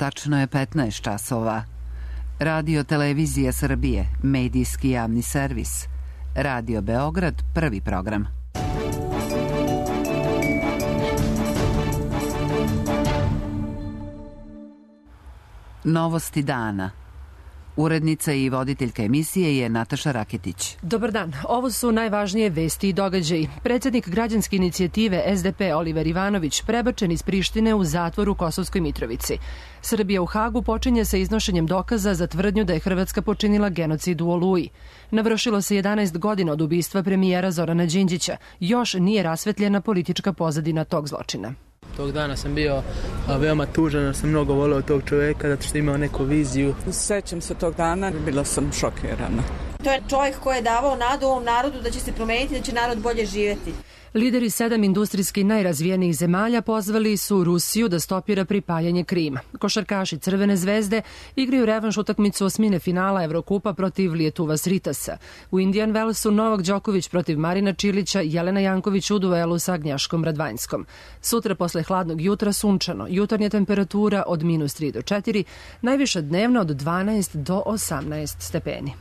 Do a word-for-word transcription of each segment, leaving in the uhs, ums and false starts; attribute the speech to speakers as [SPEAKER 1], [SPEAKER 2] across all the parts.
[SPEAKER 1] Tačno je petnaest časova. Radio Televizija Srbije, medijski javni servis. Radio Beograd, prvi program. Novosti dana. Urednica i voditeljka emisije je Nataša Raketić.
[SPEAKER 2] Dobar dan. Ovo su najvažnije vesti i događaji. Predsjednik građanske inicijative es de pe Oliver Ivanović prebačen iz Prištine u zatvor u Kosovskoj Mitrovici. Srbija u Hagu počinje sa iznošenjem dokaza za tvrdnju da je Hrvatska počinila genocid u Oluji. Navršilo se jedanaest godina od ubistva premijera Zorana Đinđića. Još nije rasvetljena politička pozadina tog zločina.
[SPEAKER 3] Tog dana sam bio veoma tužan, jer sam mnogo voleo tog čoveka, zato što je imao neku viziju.
[SPEAKER 4] Sećam se tog dana, bila sam šokirana.
[SPEAKER 5] To je čovjek koji je davao nadu ovom narodu da će se promeniti, da će narod bolje živjeti.
[SPEAKER 2] Lideri sedam industrijski najrazvijenijih zemalja pozvali su Rusiju da stopira pripajanje Krima. Košarkaši Crvene zvezde igraju revanš utakmicu osmine finala Evrokupa protiv Lijetuva Sritasa. U Indian Wellsu Novak Đoković protiv Marina Čilića, Jelena Janković u duelu sa Agnjaškom Radvanjskom. Sutra posle hladnog jutra sunčano, jutarnja temperatura od minus tri do četiri, najviša dnevna od dvanaest do osamnaest stepeni.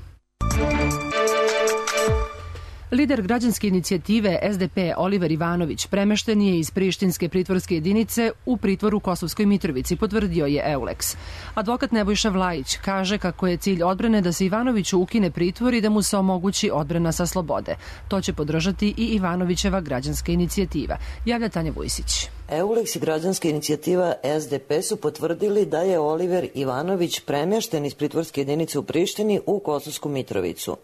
[SPEAKER 2] Lider građanske inicijative es de pe Oliver Ivanović premešten je iz prištinske pritvorske jedinice u pritvor u Kosovskoj Mitrovici, potvrdio je Euleks. Advokat Nebojša Vlajić kaže kako je cilj odbrane da se Ivanoviću ukine pritvor i da mu se omogući odbrana sa slobode. To će podržati i Ivanovićeva građanska inicijativa. Javlja Tanja Vujsić.
[SPEAKER 6] Euleks i građanska inicijativa es de pe su potvrdili da je Oliver Ivanović premešten iz pritvorske jedinice u Prištini u Kosovsku Mitrovicu.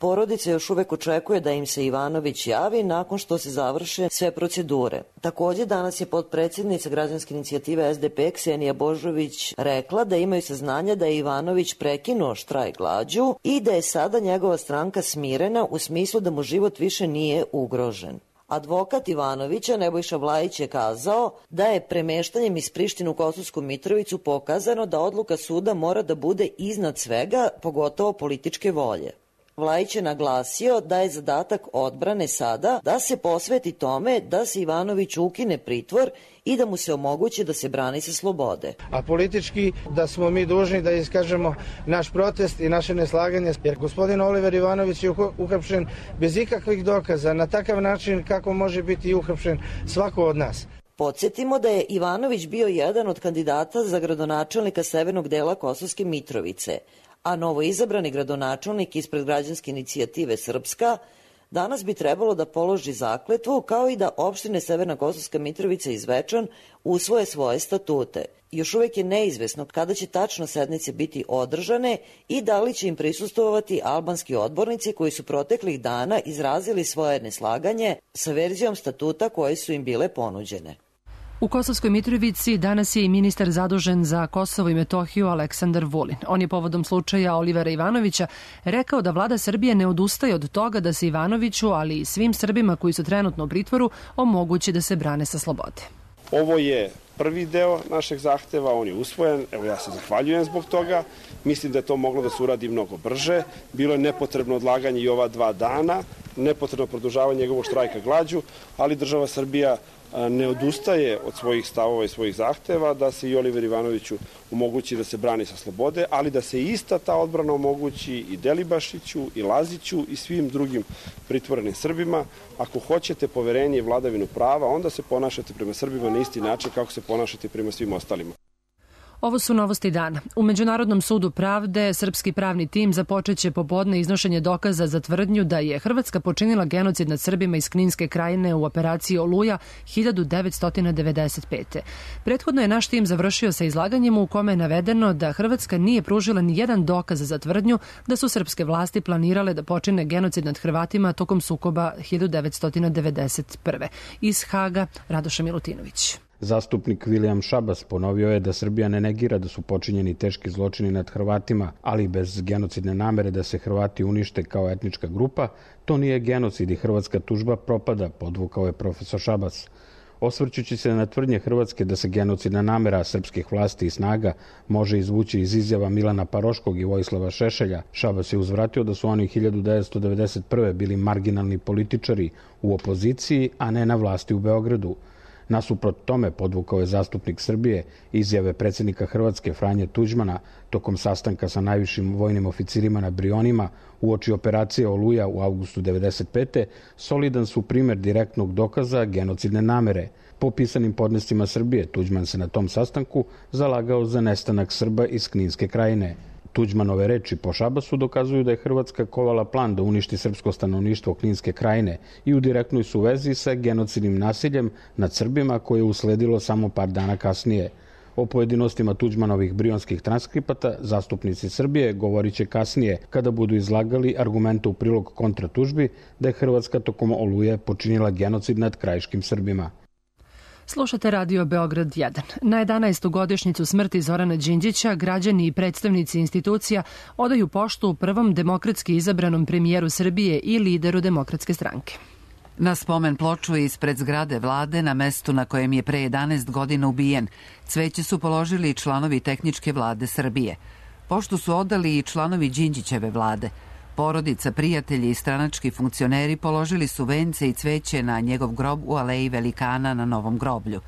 [SPEAKER 6] Porodica još uvek očekuje da im se Ivanović javi nakon što se završe sve procedure. Također danas je potpredsjednica građanske inicijative es de pe Ksenija Božović rekla da imaju saznanja da je Ivanović prekinuo štrajk glađu i da je sada njegova stranka smirena u smislu da mu život više nije ugrožen. Advokat Ivanovića Nebojša Vlajić je kazao da je premeštanjem iz Prištine u Kosovsku Mitrovicu pokazano da odluka suda mora da bude iznad svega, pogotovo političke volje. Vlajić je naglasio da je zadatak odbrane sada da se posveti tome da se Ivanoviću ukine pritvor i da mu se omogući da se brani sa slobode.
[SPEAKER 7] A politički da smo mi dužni da iskažemo naš protest i naše neslaganje, jer gospodin Oliver Ivanović je uhapšen bez ikakvih dokaza, na takav način kako može biti uhapšen svako od nas.
[SPEAKER 6] Podsjetimo da je Ivanović bio jedan od kandidata za gradonačelnika severnog dela Kosovske Mitrovice, a novoizabrani gradonačelnik ispred građanske inicijative Srpska danas bi trebalo da položi zakletvu, kao i da opštine Severna Kosovska Mitrovica i Zvečan usvoje svoje statute. Još uvek je neizvesno kada će tačno sednice biti održane i da li će im prisustvovati albanski odbornici koji su proteklih dana izrazili svoje neslaganje sa verzijom statuta koje su im bile ponuđene.
[SPEAKER 2] U Kosovskoj Mitrovici danas je i ministar zadužen za Kosovo i Metohiju Aleksandar Vulin. On je povodom slučaja Olivera Ivanovića rekao da vlada Srbije ne odustaje od toga da se Ivanoviću, ali i svim Srbima koji su trenutno u pritvoru, omogući da se brane sa slobode.
[SPEAKER 8] Ovo je prvi deo našeg zahteva, on je usvojen, evo ja se zahvaljujem zbog toga, mislim da je to moglo da se uradi mnogo brže, bilo je nepotrebno odlaganje i ova dva dana, nepotrebno produžavanje njegovog štrajka glađu, ali država Srbija ne odustaje od svojih stavova i svojih zahteva da se i Oliver Ivanoviću omogući da se brani sa slobode, ali da se ista ta odbrana omogući i Delibašiću i Laziću i svim drugim pritvorenim Srbima. Ako hoćete poverenje i vladavinu prava, onda se ponašate prema Srbima na isti način kako se ponašate prema svim ostalima.
[SPEAKER 2] Ovo su novosti dana. U Međunarodnom sudu pravde srpski pravni tim započeće popodne iznošenje dokaza za tvrdnju da je Hrvatska počinila genocid nad Srbima iz Kninske krajine u operaciji Oluja hiljadu devetsto devedeset pete. Prethodno je naš tim završio sa izlaganjem u kome je navedeno da Hrvatska nije pružila ni jedan dokaz za tvrdnju da su srpske vlasti planirale da počine genocid nad Hrvatima tokom sukoba hiljadu devetsto devedeset prve. Iz Haga, Radoša Milutinović.
[SPEAKER 9] Zastupnik William Šabas ponovio je da Srbija ne negira da su počinjeni teški zločini nad Hrvatima, ali bez genocidne namere da se Hrvati unište kao etnička grupa, to nije genocid i hrvatska tužba propada, podvukao je profesor Šabas. Osvrćući se na tvrdnje Hrvatske da se genocidna namera srpskih vlasti i snaga može izvući iz izjava Milana Paroškog i Vojislava Šešelja, Šabas je uzvratio da su oni hiljadu devetsto devedeset prve bili marginalni političari u opoziciji, a ne na vlasti u Beogradu. Nasuprot tome podvukao je zastupnik Srbije izjave predsjednika Hrvatske Franje Tuđmana tokom sastanka sa najvišim vojnim oficirima na Brionima uoči operacije Oluja u avgustu devedeset pete solidan su primer direktnog dokaza genocidne namere. Po pisanim podnescima Srbije, Tuđman se na tom sastanku zalagao za nestanak Srba iz Kninske krajine. Tuđmanove reči po Šabasu dokazuju da je Hrvatska kovala plan da uništi srpsko stanovništvo Kninske krajine i u direktnoj su vezi sa genocidnim nasiljem nad Srbima koje je usledilo samo par dana kasnije. O pojedinostima Tuđmanovih brionskih transkripata zastupnici Srbije govorit će kasnije kada budu izlagali argumente u prilog kontratužbi da je Hrvatska tokom Oluje počinila genocid nad krajiškim Srbima.
[SPEAKER 2] Slušate Radio Beograd jedan. Na jedanaestu godišnjicu smrti Zorana Đinđića građani i predstavnici institucija odaju poštu prvom demokratski izabranom premijeru Srbije i lideru Demokratske stranke.
[SPEAKER 1] Na spomen ploču ispred zgrade vlade na mestu na kojem je pre jedanaest godina ubijen, cveće su položili i članovi tehničke vlade Srbije. Poštu su odali i članovi Đinđićeve vlade. Porodica, prijatelji i stranački funkcioneri položili su vence i cveće na njegov grob u aleji Velikana na Novom groblju.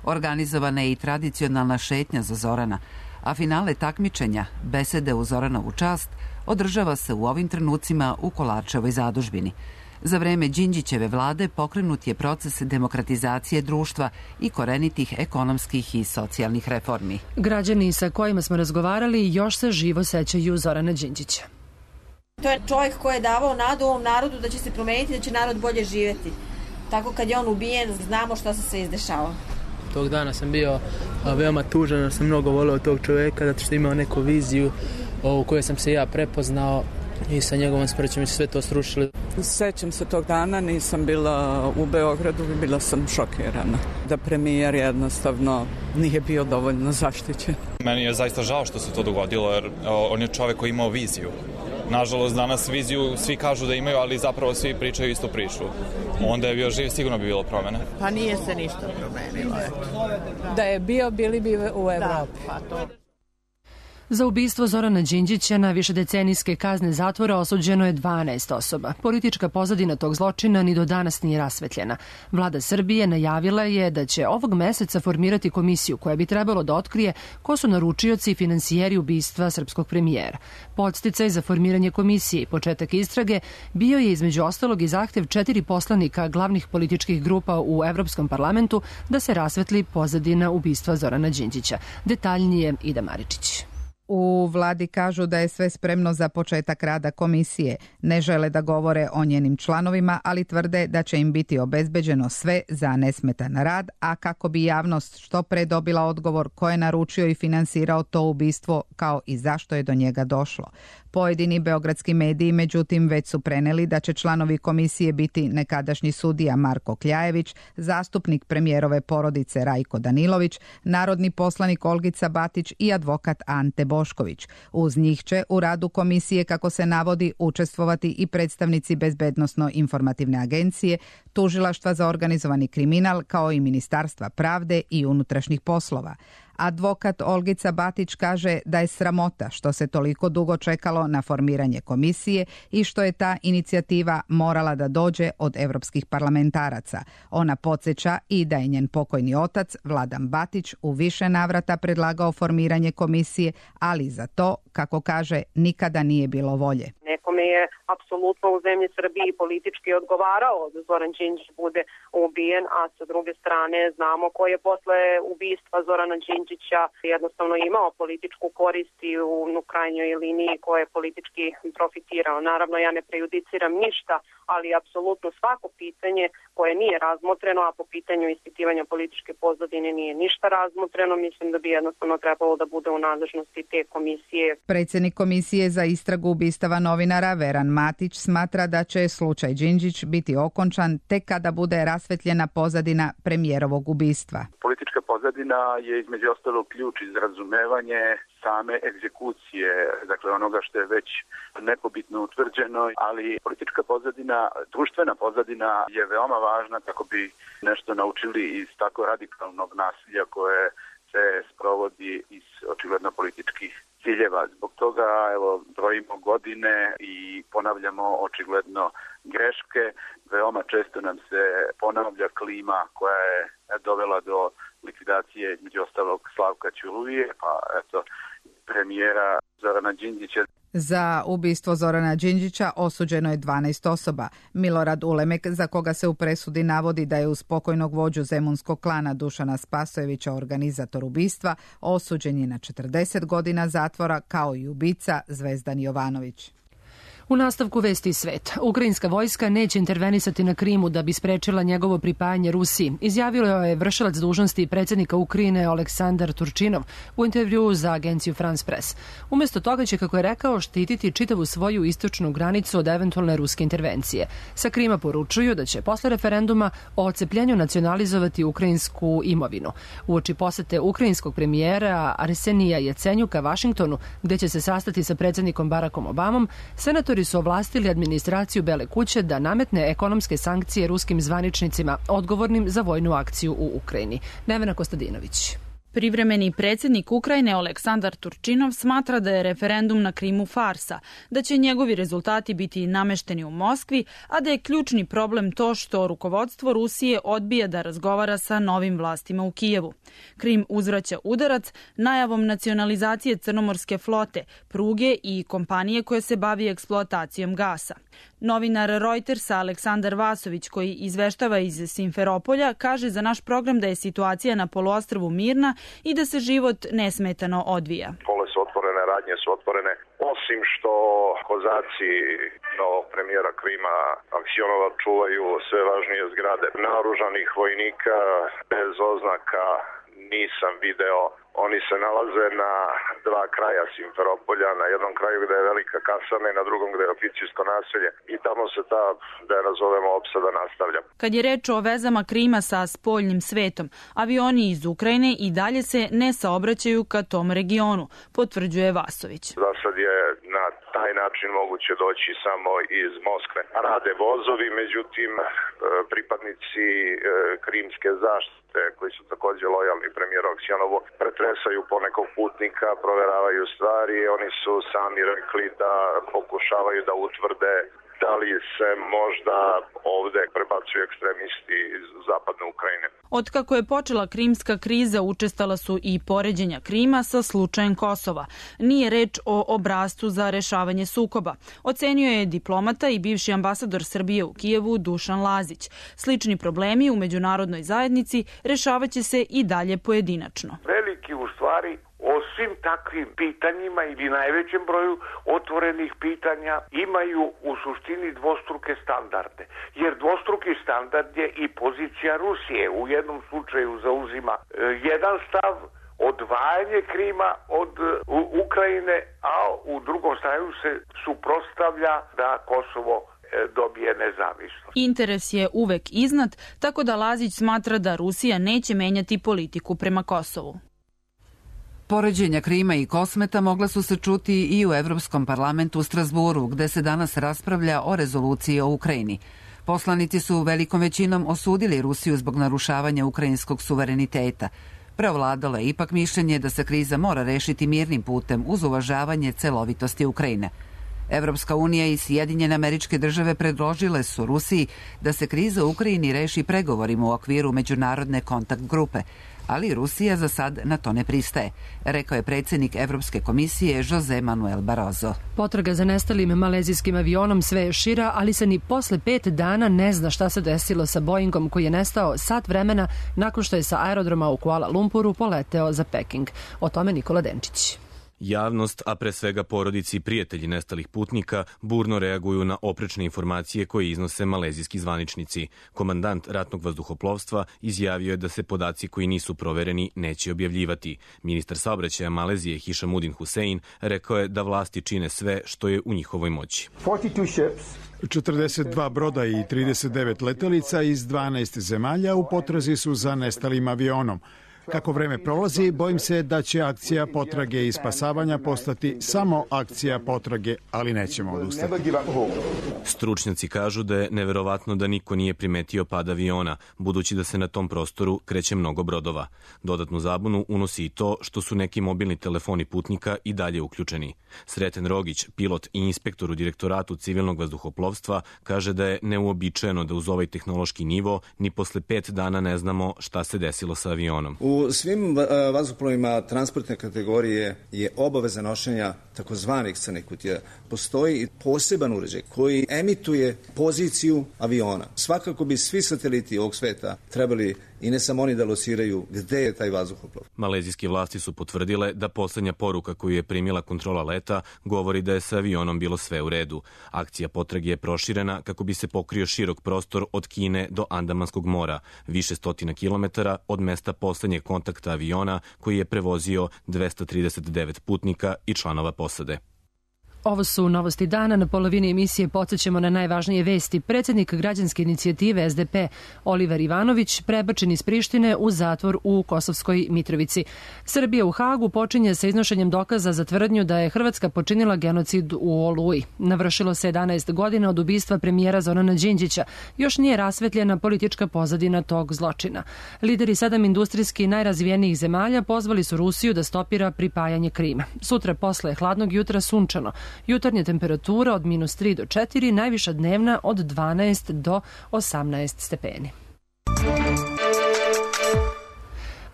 [SPEAKER 1] Organizovana je i tradicionalna šetnja za Zorana, a finale takmičenja, besede u Zoranovu čast, održava se u ovim trenucima u Kolarčevoj zadužbini. Za vreme Đinđićeve vlade pokrenut je proces demokratizacije društva i korenitih ekonomskih i socijalnih reformi.
[SPEAKER 2] Građani sa kojima smo razgovarali još se živo sećaju Zorana Đinđića.
[SPEAKER 5] To je čovjek koji je davao nadu ovom narodu da će se promeniti, da će narod bolje živjeti. Tako kad je on ubijen, znamo šta se sve izdešava.
[SPEAKER 3] Tog dana sam bio veoma tužan, jer sam mnogo voleo tog čovjeka, zato što imao neku viziju u kojoj sam se ja prepoznao i sa njegovom smrćom se sve to srušili.
[SPEAKER 4] Sećam se tog dana, nisam bila u Beogradu i bila sam šokirana. Da premijer jednostavno nije bio dovoljno zaštićen.
[SPEAKER 10] Meni je zaista žao što se to dogodilo, jer on je čovjek koji imao viziju. Nažalost, danas viziju svi kažu da imaju, ali zapravo svi pričaju istu priču. Onda je bio živ, sigurno bi bilo promene.
[SPEAKER 11] Pa nije se ništa promenilo. Da je bio, bili bi u Evropi. Da, pa to...
[SPEAKER 2] Za ubistvo Zorana Đinđića na višedecenijske kazne zatvora osuđeno je dvanaest osoba. Politička pozadina tog zločina ni do danas nije rasvetljena. Vlada Srbije najavila je da će ovog meseca formirati komisiju koja bi trebalo da otkrije ko su naručioci i finansijeri ubistva srpskog premijera. Podsticaj za formiranje komisije i početak istrage bio je između ostalog i zahtev četiri poslanika glavnih političkih grupa u Evropskom parlamentu da se rasvetli pozadina ubistva Zorana Đinđića. Detaljnije Ida Maričić.
[SPEAKER 12] U vladi kažu da je sve spremno za početak rada komisije. Ne žele da govore o njenim članovima, ali tvrde da će im biti obezbeđeno sve za nesmetan rad, a kako bi javnost što pre dobila odgovor ko je naručio i finansirao to ubistvo, kao i zašto je do njega došlo. Pojedini beogradski mediji, međutim, već su preneli da će članovi komisije biti nekadašnji sudija Marko Kljajević, zastupnik premijerove porodice Rajko Danilović, narodni poslanik Olgica Batić i advokat Ante Bošković. Uz njih će u radu komisije, kako se navodi, učestvovati i predstavnici Bezbednosno-informativne agencije, Tužilaštva za organizovani kriminal, kao i Ministarstva pravde i unutrašnjih poslova. Advokat Olgica Batić kaže da je sramota što se toliko dugo čekalo na formiranje komisije i što je ta inicijativa morala da dođe od evropskih parlamentaraca. Ona podsjeća i da je njen pokojni otac, Vladan Batić, u više navrata predlagao formiranje komisije, ali za to, kako kaže, nikada nije bilo volje.
[SPEAKER 13] Nekome je apsolutno u zemlji Srbiji politički odgovarao da Zoran Đinđić bude ubijen, a sa druge strane znamo ko je posle ubistva Zorana Đinđića jednostavno imao političku korist i u, u krajnjoj liniji ko je politički profitirao. Naravno, ja ne prejudiciram ništa, ali apsolutno svako pitanje koje nije razmotreno, a po pitanju ispitivanja političke pozadine nije ništa razmotreno, mislim da bi jednostavno trebalo da bude u nadležnosti te komisije.
[SPEAKER 12] Predsjednik komisije za istragu ubistava novinara Veran Matić smatra da će slučaj Đinđić biti okončan tek kada bude rasvetljena pozadina premijerovog ubistva.
[SPEAKER 14] Politička pozadina je između ostalog ključ iz razumevanje same egzekucije, dakle onoga što je već nepobitno utvrđeno, ali politička pozadina, društvena pozadina je veoma važna kako bi nešto naučili iz tako radikalnog nasilja koje se sprovodi iz očigledno političkih ciljeva. Zbog toga evo, brojimo godine i ponavljamo očigledno greške. Veoma često nam se ponavlja klima koja je dovela do likvidacije između ostalog Slavka Ćuruvije, pa eto premijera Zorana Đinđića.
[SPEAKER 12] Za ubistvo Zorana Đinđića osuđeno je dvanaest osoba. Milorad Ulemek, za koga se u presudi navodi da je uz pokojnog vođu zemunskog klana Dušana Spasojevića organizator ubistva, osuđen je na četrdeset godina zatvora, kao i ubica Zvezdan Jovanović.
[SPEAKER 2] U nastavku vesti iz sveta. Ukrajinska vojska neće intervenisati na Krimu da bi sprečila njegovo pripajanje Rusiji. Izjavio je vršilac dužnosti predsjednika Ukrajine Aleksandar Turčinov u intervjuu za agenciju France Press. Umjesto toga će, kako je rekao, štititi čitavu svoju istočnu granicu od eventualne ruske intervencije. Sa Krima poručuju da će posle referenduma o odcepljenju nacionalizovati ukrajinsku imovinu. Uoči posete ukrajinskog premijera Arsenija Jacenjuka Vašingtonu, gde će se sastati sa predsjednikom Barackom Obamom, senatori su ovlastili administraciju Bele kuće da nametne ekonomske sankcije ruskim zvaničnicima odgovornim za vojnu akciju u Ukrajini. Nevena Kostadinović.
[SPEAKER 15] Privremeni predsjednik Ukrajine Aleksandar Turčinov smatra da je referendum na Krimu farsa, da će njegovi rezultati biti namešteni u Moskvi, a da je ključni problem to što rukovodstvo Rusije odbija da razgovara sa novim vlastima u Kijevu. Krim uzvraća udarac najavom nacionalizacije crnomorske flote, pruge i kompanije koje se bavi eksploatacijom gasa. Novinar Reutersa Aleksandar Vasović, koji izveštava iz Simferopolja, kaže za naš program da je situacija na poluostrvu mirna i da se život nesmetano odvija.
[SPEAKER 16] Pole su otvorene, radnje su otvorene, osim što kozaci novog premijera Krima Aksionova čuvaju sve važnije zgrade naoružanih vojnika bez oznaka nisam video. Oni se nalaze na dva kraja Simferopolja, na jednom kraju gde je velika kasarna i na drugom gde je oficirsko naselje i tamo se ta, da je nazovemo, opsada nastavlja.
[SPEAKER 15] Kad je reč o vezama Krima sa spoljnim svetom, avioni iz Ukrajine i dalje se ne saobraćaju ka tom regionu, potvrđuje Vasović.
[SPEAKER 16] Za sad je na taj način moguće doći samo iz Moskve. Rade vozovi, međutim pripadnici krimske zaštite koji su također lojalni premijeru Aksionovu pretresaju ponekog putnika, proveravaju stvari. Oni su sami rekli da pokušavaju da utvrde da li se možda ovde prebacuju ekstremisti iz zapadne Ukrajine.
[SPEAKER 15] Otkako je počela krimska kriza, učestala su i poređenja Krima sa slučajem Kosova. Nije reč o obrascu za rešavanje sukoba. Ocenio je diplomata i bivši ambasador Srbije u Kijevu Dušan Lazić. Slični problemi u međunarodnoj zajednici rešavaće se i dalje pojedinačno.
[SPEAKER 17] Veliki u stvari o svim takvim pitanjima ili najvećem broju otvorenih pitanja imaju u suštini dvostruke standarde. Jer dvostruki standard je i pozicija Rusije. U jednom slučaju zauzima e, jedan stav, odvajanje Krima od e, Ukrajine, a u drugom staju se suprotstavlja da Kosovo dobije nezavisnost.
[SPEAKER 15] Interes je uvek iznad, tako da Lazić smatra da Rusija neće menjati politiku prema Kosovu.
[SPEAKER 1] Poređenja Krima i Kosmeta mogla su se čuti i u Evropskom parlamentu u Strasburu, gde se danas raspravlja o rezoluciji o Ukrajini. Poslanici su velikom većinom osudili Rusiju zbog narušavanja ukrajinskog suvereniteta. Preovladalo je ipak mišljenje da se kriza mora rešiti mirnim putem uz uvažavanje celovitosti Ukrajine. Evropska unija i Sjedinjene Američke Države predložile su Rusiji da se kriza u Ukrajini reši pregovorima u okviru međunarodne kontakt grupe, ali Rusija za sad na to ne pristaje, rekao je predsjednik Evropske komisije José Manuel Barroso.
[SPEAKER 2] Potraga za nestalim malezijskim avionom sve je šira, ali se ni posle pet dana ne zna šta se desilo sa Boeingom koji je nestao sat vremena nakon što je sa aerodroma u Kuala Lumpuru poleteo za Peking. O tome Nikola Denčić.
[SPEAKER 18] Javnost, a pre svega porodici i prijatelji nestalih putnika, burno reaguju na oprečne informacije koje iznose malezijski zvaničnici. Komandant ratnog vazduhoplovstva izjavio je da se podaci koji nisu provereni neće objavljivati. Ministar saobraćaja Malezije Hishamuddin Hussein rekao je da vlasti čine sve što je u njihovoj moći.
[SPEAKER 19] četrdeset dva broda i trideset devet letelica iz dvanaest zemalja u potrazi su za nestalim avionom. Kako vreme prolazi, bojim se da će akcija potrage i spasavanja postati samo akcija potrage, ali nećemo odustati.
[SPEAKER 18] Stručnjaci kažu da je neverovatno da niko nije primetio pad aviona, budući da se na tom prostoru kreće mnogo brodova. Dodatnu zabunu unosi i to što su neki mobilni telefoni putnika i dalje uključeni. Sreten Rogić, pilot i inspektor u Direktoratu civilnog vazduhoplovstva, kaže da je neuobičajeno da uz ovaj tehnološki nivo ni posle pet dana ne znamo šta se desilo sa avionom.
[SPEAKER 20] U svim vazduhoplovima transportne kategorije je obaveza nošenja takozvanih crnih kutija. Postoji poseban uređaj koji emituje poziciju aviona. Svakako bi svi sateliti ovog sveta trebali i ne samo oni da lociraju gde je taj vazduhoplov.
[SPEAKER 18] Malezijske vlasti su potvrdile da poslednja poruka koju je primila kontrola leta govori da je sa avionom bilo sve u redu. Akcija potrage je proširena kako bi se pokrio širok prostor od Kine do Andamanskog mora, više stotina kilometara od mesta poslednjeg kontakta aviona koji je prevozio dvesta trideset devet putnika i članova posade.
[SPEAKER 2] Ovo su novosti dana. Na polovini emisije podsjećamo na najvažnije vesti. Predsjednik građanske inicijative S D P Oliver Ivanović prebačen iz Prištine u zatvor u Kosovskoj Mitrovici. Srbija u Hagu počinje sa iznošenjem dokaza za tvrdnju da je Hrvatska počinila genocid u Oluji. Navršilo se jedanaest godina od ubistva premijera Zorana Đinđića. Još nije rasvetljena politička pozadina tog zločina. Lideri sedam industrijski najrazvijenijih zemalja pozvali su Rusiju da stopira pripajanje Krima. Sutra posle hladnog jutra sunčano. Jutarnja temperatura od minus tri do četiri, najviša dnevna od dvanaest do osamnaest stepeni.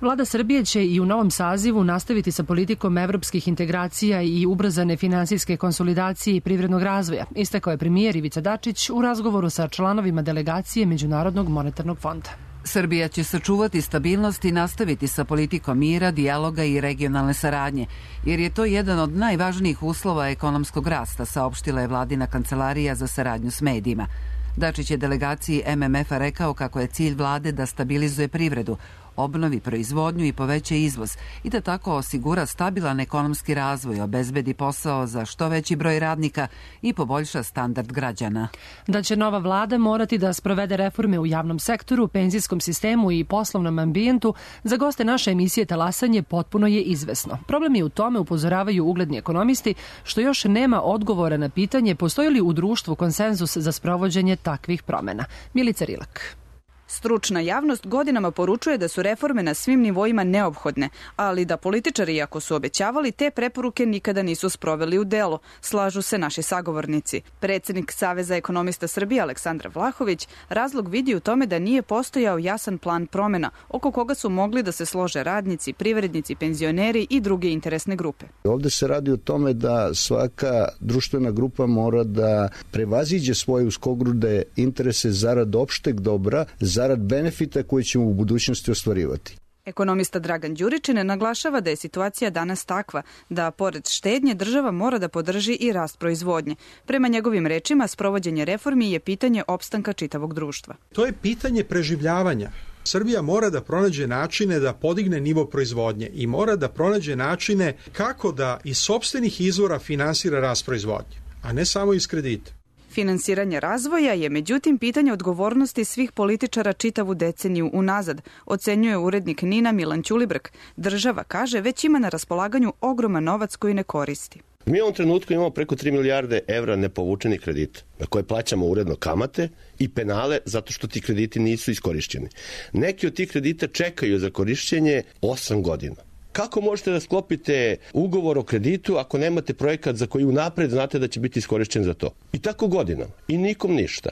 [SPEAKER 2] Vlada Srbije će i u novom sazivu nastaviti sa politikom evropskih integracija i ubrzane finansijske konsolidacije i privrednog razvoja, istakao je premijer Ivica Dačić u razgovoru sa članovima delegacije Međunarodnog monetarnog fonda.
[SPEAKER 1] Srbija će sačuvati stabilnost i nastaviti sa politikom mira, dijaloga i regionalne saradnje, jer je to jedan od najvažnijih uslova ekonomskog rasta, saopštila je vladina kancelarija za saradnju s medijima. Dačić je delegaciji M M F-a rekao kako je cilj vlade da stabilizuje privredu, obnovi proizvodnju i poveća izvoz i da tako osigura stabilan ekonomski razvoj, obezbedi posao za što veći broj radnika i poboljša standard građana.
[SPEAKER 2] Da će nova vlada morati da sprovede reforme u javnom sektoru, penzijskom sistemu i poslovnom ambijentu, za goste naše emisije Talasanje potpuno je izvesno. Problem je u tome, upozoravaju ugledni ekonomisti, što još nema odgovora na pitanje postoji li u društvu konsenzus za sprovođenje takvih promena. Milica Rilak.
[SPEAKER 21] Stručna javnost godinama poručuje da su reforme na svim nivoima neophodne, ali da političari, iako su obećavali, te preporuke nikada nisu sproveli u delo, slažu se naši sagovornici. Predsednik Saveza ekonomista Srbije Aleksandar Vlahović razlog vidi u tome da nije postojao jasan plan promena, oko koga su mogli da se slože radnici, privrednici, penzioneri i druge interesne grupe.
[SPEAKER 22] Ovde se radi o tome da svaka društvena grupa mora da prevaziđe svoje uskogrude interese zarad opšteg dobra, zarad benefita koji ćemo u budućnosti ostvarivati.
[SPEAKER 21] Ekonomista Dragan Đuričin naglašava da je situacija danas takva da pored štednje država mora da podrži i rast proizvodnje. Prema njegovim rečima, sprovođenje reformi je pitanje opstanka čitavog društva.
[SPEAKER 23] To je pitanje preživljavanja. Srbija mora da pronađe načine da podigne nivo proizvodnje i mora da pronađe načine kako da iz sopstvenih izvora finansira rast proizvodnje, a ne samo iz kredita.
[SPEAKER 21] Finansiranje razvoja je međutim pitanje odgovornosti svih političara čitavu deceniju unazad, ocenjuje urednik Nina Milan Ćulibrk. Država, kaže, već ima na raspolaganju ogroman novac koji ne koristi.
[SPEAKER 24] Mi u ovom trenutku imamo preko tri milijarde evra nepovučenih kredita, na koje plaćamo uredno kamate i penale zato što ti krediti nisu iskorišćeni. Neki od tih kredita čekaju za korišćenje osam godina. Kako možete da sklopite ugovor o kreditu ako nemate projekat za koji unapred znate da će biti iskorišćen za to? I tako godinama. I nikom ništa.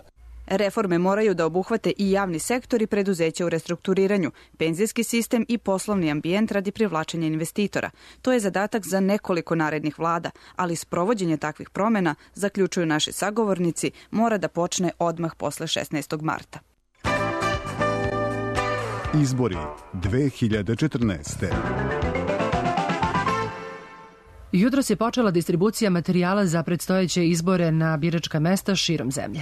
[SPEAKER 21] Reforme moraju da obuhvate i javni sektor i preduzeća u restrukturiranju, penzijski sistem i poslovni ambijent radi privlačenja investitora. To je zadatak za nekoliko narednih vlada, ali sprovođenje takvih promena, zaključuju naši sagovornici, mora da počne odmah posle šesnaestog marta.
[SPEAKER 25] Izbori dve hiljade četrnaeste.
[SPEAKER 2] Jutros je počela distribucija materijala za predstojeće izbore na biračka mesta širom zemlje.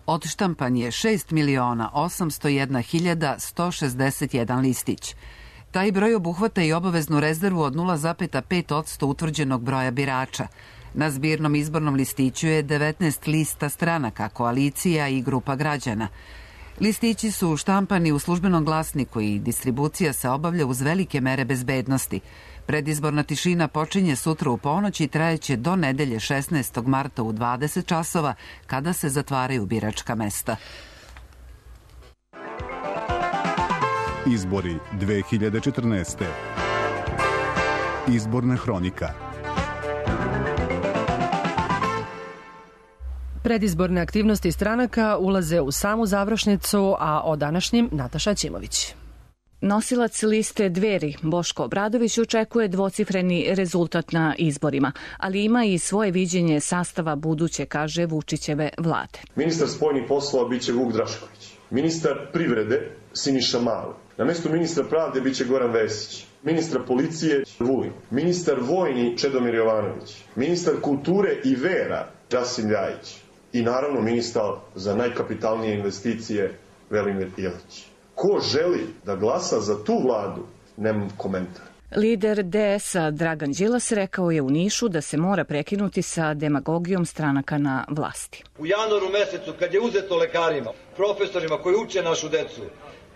[SPEAKER 1] Odštampan je šest miliona osamsto jedna hiljada sto šezdeset jedan listić. Taj broj obuhvata i obaveznu rezervu od nula zarez pet posto utvrđenog broja birača. Na zbirnom izbornom listiću je devetnaest lista stranaka, koalicija i grupa građana. Listići su štampani u službenom glasniku i distribucija se obavlja uz velike mere bezbednosti. Predizborna tišina počinje sutra u ponoć i trajeće do nedelje šesnaestog marta u dvadeset časova, kada se zatvaraju biračka mesta.
[SPEAKER 25] Izbori dve hiljade četrnaeste. Izborna hronika.
[SPEAKER 2] Predizborne aktivnosti stranaka ulaze u samu završnicu, a o današnjim Nataša Ćimović.
[SPEAKER 5] Nosilac liste Dveri, Boško Obradović, očekuje dvocifreni rezultat na izborima, ali ima i svoje viđenje sastava buduće, kaže, Vučićeve vlade.
[SPEAKER 6] Ministar spoljnih poslova biće Vuk Drašković. Ministar privrede Siniša Mali. Na mestu ministra pravde biće Goran Vesić. Ministra policije Vulin. Ministar vojni Čedomir Jovanović. Ministar kulture i vera Rasim Ljajić. I naravno ministar za najkapitalnije investicije Velimir Ilić. Ko želi da glasa za tu vladu, nemam komentar.
[SPEAKER 5] Lider D S-a Dragan Đilas rekao je u Nišu da se mora prekinuti sa demagogijom stranaka na vlasti.
[SPEAKER 7] U januaru mesecu, kad je uzeto lekarima, profesorima koji uče našu decu,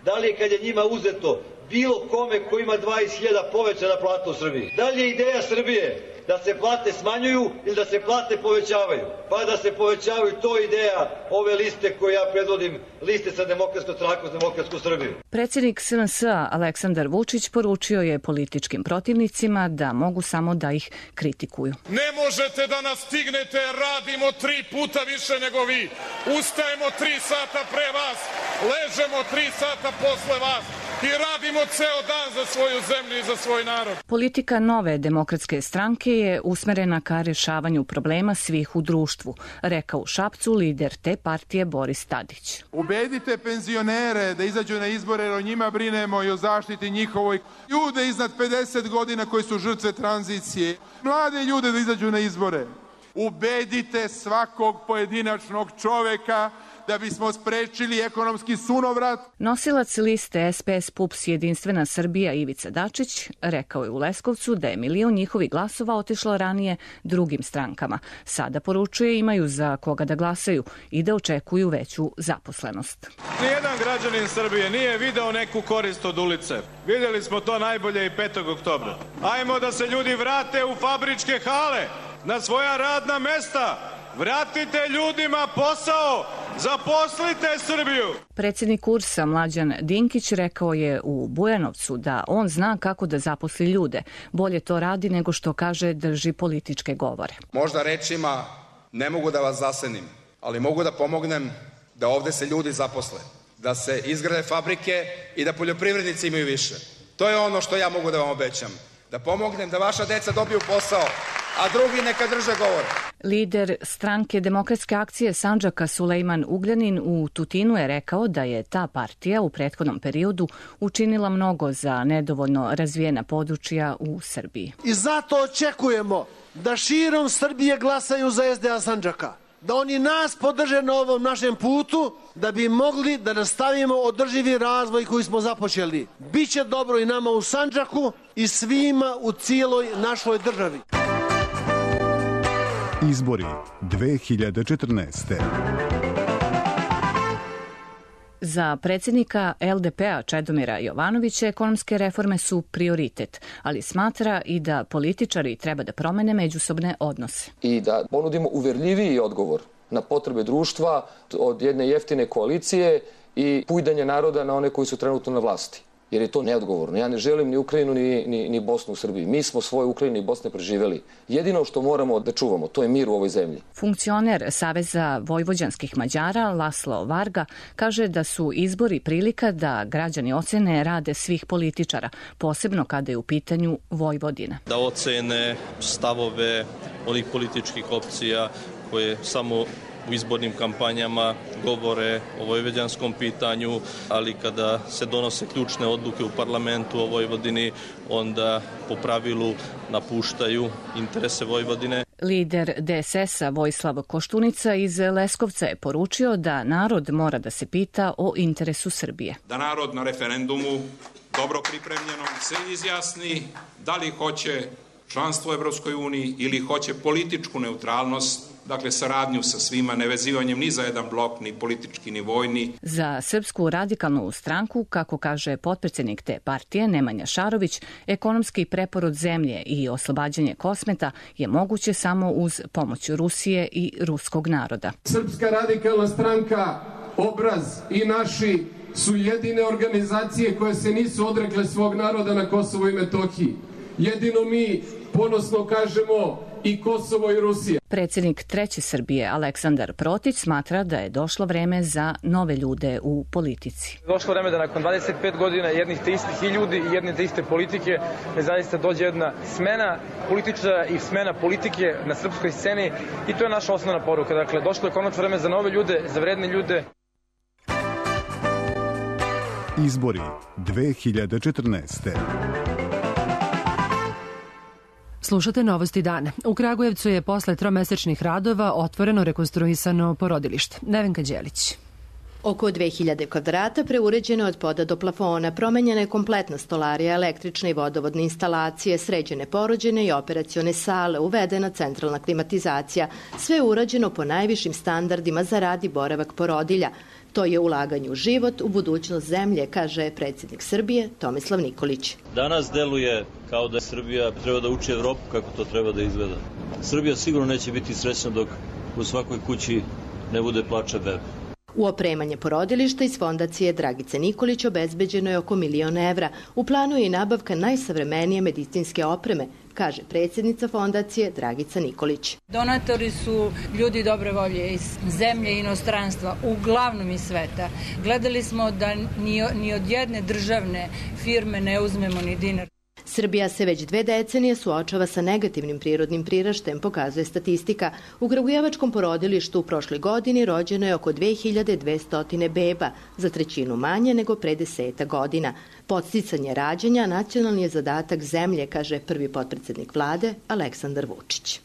[SPEAKER 7] da li je kad je njima uzeto bilo kome ko ima dvadeset hiljada povećana plata u Srbiji? Da li je ideja Srbije da se plate smanjuju ili da se plate povećavaju? Pa da se povećavaju, to je ideja ove liste koje ja predvodim, liste sa Demokratskom strankom za Demokratsku Srbiju.
[SPEAKER 5] Predsjednik S N S-a Aleksandar Vučić poručio je političkim protivnicima da mogu samo da ih kritikuju.
[SPEAKER 8] Ne možete da nas stignete, radimo tri puta više nego vi. Ustajemo tri sata pre vas, ležemo tri sata posle vas i radimo ceo dan za svoju zemlju i za svoj narod.
[SPEAKER 5] Politika Nove demokratske stranke je usmerena ka rješavanju problema svih u društvu, rekao u Šapcu lider te partije Boris Tadić.
[SPEAKER 9] Ubedite penzionere da izađu na izbore jer o njima brinemo i o zaštiti njihovoj. Ljude iznad pedeset godina koji su žrtve tranzicije. Mlade ljude da izađu na izbore. Ubedite svakog pojedinačnog čoveka da bismo sprečili ekonomski sunovrat.
[SPEAKER 5] Nosilac liste S P S P U P S Jedinstvena Srbija Ivica Dačić rekao je u Leskovcu da je milion njihovih glasova otišlo ranije drugim strankama. Sada poručuje imaju za koga da glasaju i da očekuju veću zaposlenost.
[SPEAKER 9] Nijedan građanin Srbije nije video neku korist od ulice. Vidjeli smo to najbolje i petog oktobra. Ajmo da se ljudi vrate u fabričke hale, na svoja radna mesta. Vratite ljudima posao, zaposlite Srbiju.
[SPEAKER 5] Predsjednik U R S-a Mlađan Dinkić rekao je u Bujanovcu da on zna kako da zaposli ljude. Bolje to radi nego što kaže drži političke govore.
[SPEAKER 26] Možda rečima ne mogu da vas zasenim, ali mogu da pomognem da ovde se ljudi zaposle, da se izgrade fabrike i da poljoprivrednici imaju više. To je ono što ja mogu da vam obećam. Da pomognem da vaša deca dobiju posao, a drugi neka drže govor.
[SPEAKER 5] Lider stranke Demokratske akcije Sandžaka Sulejman Ugljanin u Tutinu je rekao da je ta partija u prethodnom periodu učinila mnogo za nedovoljno razvijena područja u Srbiji.
[SPEAKER 27] I zato očekujemo da širom Srbije glasaju za S D A Sandžaka. Da oni nas podrže na ovom našem putu, da bi mogli da nastavimo održivi razvoj koji smo započeli. Biće dobro i nama u Sandžaku i svima u cijeloj našoj državi.
[SPEAKER 25] Izbori dve hiljade četrnaeste.
[SPEAKER 5] Za predsjednika L D P-a Čedomira Jovanovića ekonomske reforme su prioritet, ali smatra i da političari treba da promene međusobne odnose.
[SPEAKER 28] I da ponudimo uverljiviji odgovor na potrebe društva od jedne jeftine koalicije i pujdanje naroda na one koji su trenutno na vlasti. Jer je to neodgovorno. Ja ne želim ni Ukrajinu ni, ni, ni Bosnu u Srbiji. Mi smo svoje Ukrajine i Bosne preživeli. Jedino što moramo da čuvamo, to je mir u ovoj zemlji.
[SPEAKER 5] Funkcioner Saveza vojvođanskih Mađara Laslo Varga kaže da su izbori prilika da građani ocene rade svih političara, posebno kada je u pitanju Vojvodina.
[SPEAKER 29] Da ocene stavove onih političkih opcija koje samo u izbornim kampanjama govore o vojvođanskom pitanju, ali kada se donose ključne odluke u parlamentu o Vojvodini, onda po pravilu napuštaju interese Vojvodine.
[SPEAKER 5] Lider D S S-a Vojislav Koštunica iz Leskovca je poručio da narod mora da se pita o interesu Srbije.
[SPEAKER 30] Da narod na referendumu dobro pripremljenom se izjasni da li hoće članstvo u Evropskoj uniji ili hoće političku neutralnost
[SPEAKER 26] dakle saradnju sa svima, nevezivanjem ni za jedan blok, ni politički, ni vojni.
[SPEAKER 5] Za Srpsku radikalnu stranku, kako kaže potpredsednik te partije Nemanja Šarović, ekonomski preporod zemlje i oslobađanje Kosmeta je moguće samo uz pomoć Rusije i ruskog naroda.
[SPEAKER 3] Srpska radikalna stranka, Obraz i Naši su jedine organizacije koje se nisu odrekle svog naroda na Kosovo i Metohiji. Jedino mi ponosno kažemo i Kosovo i Rusija.
[SPEAKER 5] Predsjednik Treće Srbije Aleksandar Protić smatra da je došlo vreme za nove ljude u politici.
[SPEAKER 4] Došlo vreme da nakon dvadeset pet godina jednih te istih i ljudi i jedne te iste politike da zaista dođe jedna smena političara i smena politike na srpskoj sceni i to je naša osnovna poruka. Dakle, došlo je konačno vreme za nove ljude, za vredne ljude.
[SPEAKER 25] Izbori dve hiljade četrnaeste.
[SPEAKER 2] Slušate Novosti dana. U Kragujevcu je posle tromesečnih radova otvoreno rekonstruisano porodilište. Nevenka Đelić.
[SPEAKER 10] Oko dve hiljade kvadrata preuređeno od poda do plafona, promenjena je kompletna stolarija, električne i vodovodne instalacije, sređene porođene i operacione sale, uvedena centralna klimatizacija. Sve je urađeno po najvišim standardima za rad i boravak porodilja. To je ulaganje u život, u budućnost zemlje, kaže predsjednik Srbije Tomislav Nikolić.
[SPEAKER 11] Danas deluje kao da Srbija treba da uči Evropu kako to treba da izgleda. Srbija sigurno neće biti srećna dok u svakoj kući ne bude plača bebe.
[SPEAKER 10] U opremanje porodilišta iz fondacije Dragice Nikolić obezbeđeno je oko milion evra. U planu je i nabavka najsavremenije medicinske opreme, kaže predsjednica fondacije Dragica Nikolić.
[SPEAKER 12] Donatori su ljudi dobre volje iz zemlje i inostranstva, uglavnom iz sveta. Gledali smo da ni, ni od jedne državne firme ne uzmemo ni dinar.
[SPEAKER 10] Srbija se već dve decenije suočava sa negativnim prirodnim priraštajem, pokazuje statistika. U Kragujevačkom porodilištu u prošloj godini rođeno je oko dve hiljade dvesta beba, za trećinu manje nego pre deseta godina. Podsticanje rađanja nacionalni je zadatak zemlje, kaže prvi potpredsednik vlade Aleksandar Vučić.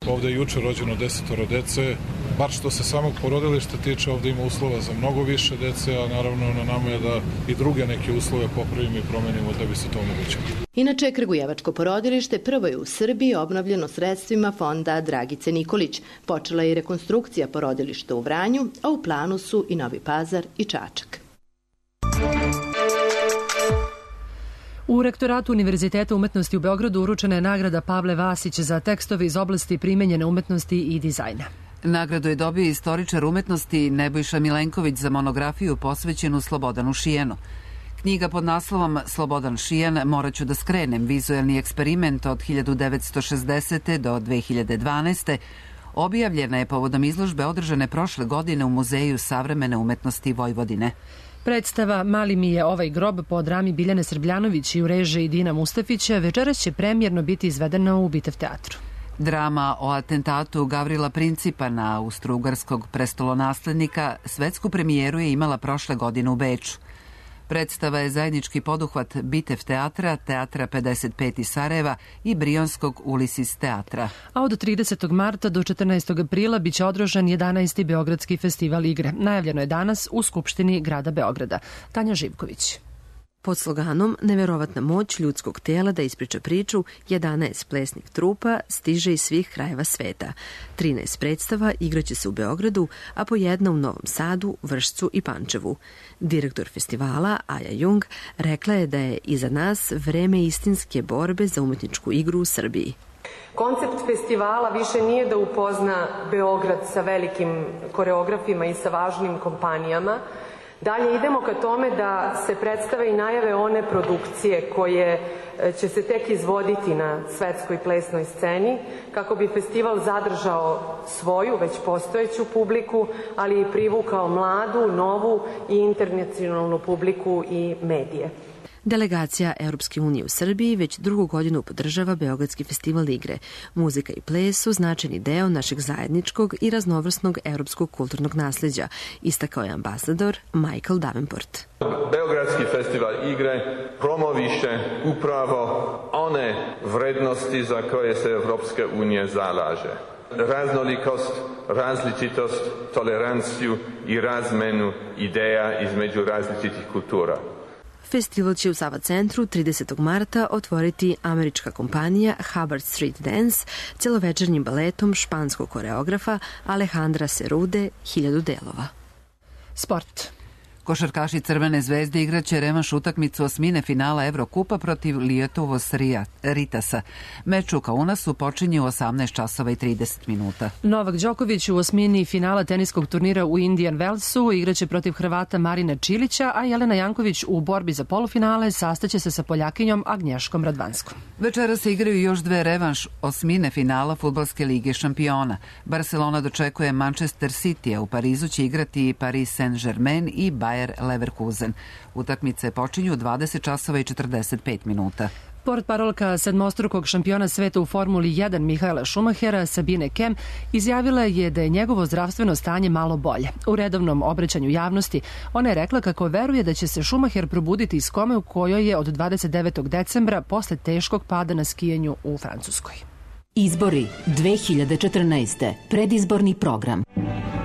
[SPEAKER 8] Ovde je juče rođeno desetoro dece, bar što se samog porodilišta tiče, ovde ima uslova za mnogo više dece, a naravno na nama je da i druge neke uslove popravimo i promenimo da bi se to omogućilo.
[SPEAKER 10] Inače, Kragujevačko porodilište prvo je u Srbiji obnovljeno sredstvima fonda Dragice Nikolić. Počela je i rekonstrukcija porodilišta u Vranju, a u planu su i Novi Pazar i Čačak.
[SPEAKER 2] U rektoratu Univerziteta umetnosti u Beogradu uručena je nagrada Pavle Vasić za tekstove iz oblasti primenjene umetnosti i dizajna.
[SPEAKER 1] Nagradu je dobio istoričar umetnosti Nebojša Milenković za monografiju posvećenu Slobodanu Šijanu. Knjiga pod naslovom Slobodan Šijan, moraću da skrenem, vizuelni eksperiment od hiljadu devetsto šezdesete. do dve hiljade dvanaeste. objavljena je povodom izložbe održane prošle godine u Muzeju savremene umetnosti Vojvodine.
[SPEAKER 2] Predstava Mali mi je ovaj grob po drami Biljane Srbljanović i u režiji Dina Mustafića večeras će premijerno biti izvedena u Bitev teatru.
[SPEAKER 1] Drama o atentatu Gavrila Principa na austro-ugarskog prestolonaslednika svetsku premijeru je imala prošle godine u Beču. Predstava je zajednički poduhvat Bitev teatra, Teatra pedeset pet iz Sarajeva i Brionskog Ulisis teatra.
[SPEAKER 2] A od tridesetog marta do četrnaestog aprila biće održan jedanaesti Beogradski festival igre. Najavljeno je danas u Skupštini grada Beograda. Tanja Živković.
[SPEAKER 13] Pod sloganom Neverovatna moć ljudskog tela da ispriča priču, jedanaest plesnih trupa stiže iz svih krajeva sveta. trinaest predstava igraće se u Beogradu, a po jedna u Novom Sadu, Vršcu i Pančevu. Direktor festivala, Aja Jung, rekla je da je iza nas vreme istinske borbe za umetničku igru u Srbiji.
[SPEAKER 14] Koncept festivala više nije da upozna Beograd sa velikim koreografima i sa važnim kompanijama. Dalje idemo ka tome da se predstave i najave one produkcije koje će se tek izvoditi na svetskoj plesnoj sceni, kako bi festival zadržao svoju, već postojeću publiku, ali i privukao mladu, novu i internacionalnu publiku i medije.
[SPEAKER 13] Delegacija Europske unije u Srbiji već drugu godinu podržava Beogradski festival igre. Muzika i ples su značajni deo našeg zajedničkog i raznovrsnog europskog kulturnog nasleđa, istakao je ambasador Michael Davenport.
[SPEAKER 15] Beogradski festival igre promoviše upravo one vrednosti za koje se Evropska unija zalaže. Raznolikost, različitost, toleranciju i razmenu ideja između različitih kultura.
[SPEAKER 13] Festival će u Sava centru tridesetog marta otvoriti američka kompanija Hubbard Street Dance celovečernjim baletom španskog koreografa Alejandra Serude Hiljadu delova.
[SPEAKER 2] Sport.
[SPEAKER 1] Košarkaši Crvene zvezde igraće revanš utakmicu osmine finala Evrokupa protiv Lietuvos Ritasa. Meč u Kaunasu počinje u osamnaest časova i trideset minuta.
[SPEAKER 2] Novak Đoković u osmini finala teniskog turnira u Indian Wellsu igraće protiv Hrvata Marina Čilića, a Jelena Janković u borbi za polufinale sastaće se sa Poljakinjom Agnješkom Radvanskom.
[SPEAKER 1] Večera se igraju još dve revanš osmine finala Fudbalske lige šampiona. Barcelona dočekuje Manchester City, a u Parizu će igrati i Paris Saint-Germain i Bayern Leverkusen. Utakmice počinju u dvadeset časova i četrdeset pet minuta.
[SPEAKER 2] Portparolka sedmostrukog šampiona sveta u Formuli jedan Mihaela Schumachera, Sabine Kem, izjavila je da je njegovo zdravstveno stanje malo bolje. U redovnom obraćanju javnosti ona je rekla kako veruje da će se Schumacher probuditi iz kome u kojoj je od dvadeset devetog decembra posle teškog pada na skijanju u Francuskoj.
[SPEAKER 6] Izbori dve hiljade četrnaeste. Predizborni program.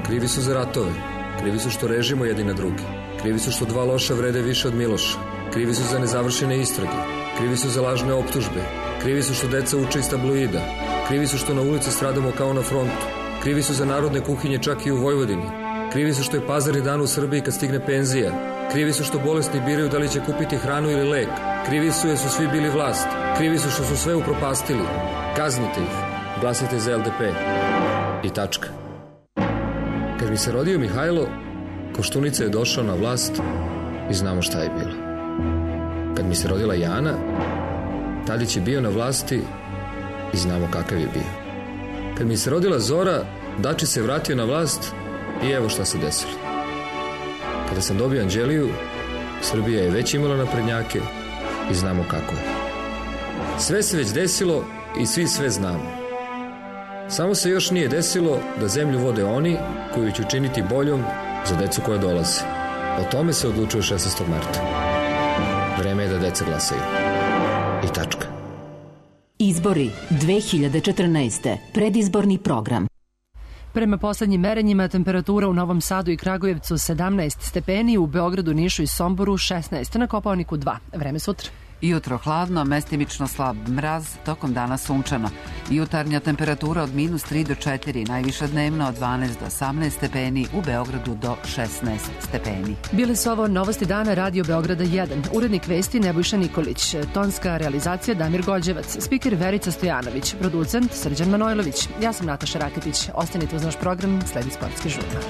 [SPEAKER 28] Krivi su za ratove. Krivi su što režimo jedni na drugi. Krivi su što dva loša vrede više od Miloša. Krivi su za nezavršene istrage. Krivi su za lažne optužbe. Krivi su što deca uče iz tabloida. Krivi su što na ulici stradamo kao na frontu. Krivi su za narodne kuhinje čak i u Vojvodini. Krivi su što je pazarni dan u Srbiji kad stigne penzija. Krivi su što bolesni biraju da li će kupiti hranu ili lek. Krivi su jer su svi bili vlast. Krivi su što su sve upropastili. Kaznite ih. Glasajte za L D P. I tačka. Kad mi se rodio Mihajlo, Koštunica je došao na vlast i znamo šta je bilo. Kad mi se rodila Jana, Tadić je bio na vlasti i znamo kakav je bio. Kad mi se rodila Zora, Dači se vratio na vlast i evo šta se desilo. Kada sam dobio Anđeliju, Srbija je već imala naprednjake i znamo kako je. Sve se već desilo i svi sve znamo. Samo se još nije desilo da zemlju vode oni koji će učiniti boljom za decu koja dolaze. O tome se odlučuje šesnaestog marta. Vreme je da deca glasaju. I tačka.
[SPEAKER 6] Izbori dve hiljade četrnaeste. Predizborni program.
[SPEAKER 2] Prema poslednjim merenjima temperatura u Novom Sadu i Kragujevcu sedamnaest stepeni, u Beogradu, Nišu i Somboru šesnaest, na Kopaoniku dva. Vreme sutra.
[SPEAKER 1] Jutro hladno, mestimično slab mraz, tokom dana sunčano. Jutarnja temperatura od minus tri do četiri, najviša dnevno od dvanaest do osamnaest stepeni, u Beogradu do šesnaest stepeni.
[SPEAKER 2] Bili su ovo novosti dana Radio Beograda jedan. Urednik vesti Nebojša Nikolić, tonska realizacija Damir Gođevac, spiker Verica Stojanović, producent Srđan Manojlović. Ja sam Nataša Raketić. Ostanite uz naš program, sledi sportski žurnal.